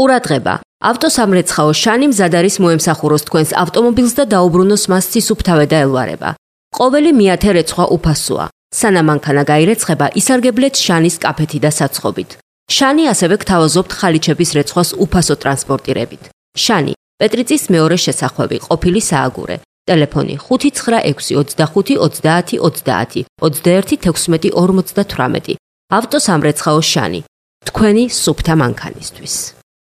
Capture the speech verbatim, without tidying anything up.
ყურადღება. ავტოსამრეცხაო შანი მზად არის მოემსახუროს თქვენს ავტომობილს და დაუბრუნოს მას ცისუფთავე და ელვარება. ყოველი მეათე რეცხვა უფასოა. სანამ მანქანა გაირეცხება, ისარგებლეთ შანის კაფეთი და საცხობით. შანი ასევე გთავაზობთ ხალიჩების რეცხვას უფასო ტრანსპორტირებით. შანი, პეტრიწის მეორე შესახვევი, ყოფილი სააგურე. ტელეფონი ხუთი ცხრა ექვსი ოცდახუთი ოცდაათი ოცდაათი ოცდაერთი თექვსმეტი ორმოცდათვრამეტი. ავტოსამრეცხაო შანი. თქვენი სუფთა მანქანისთვის.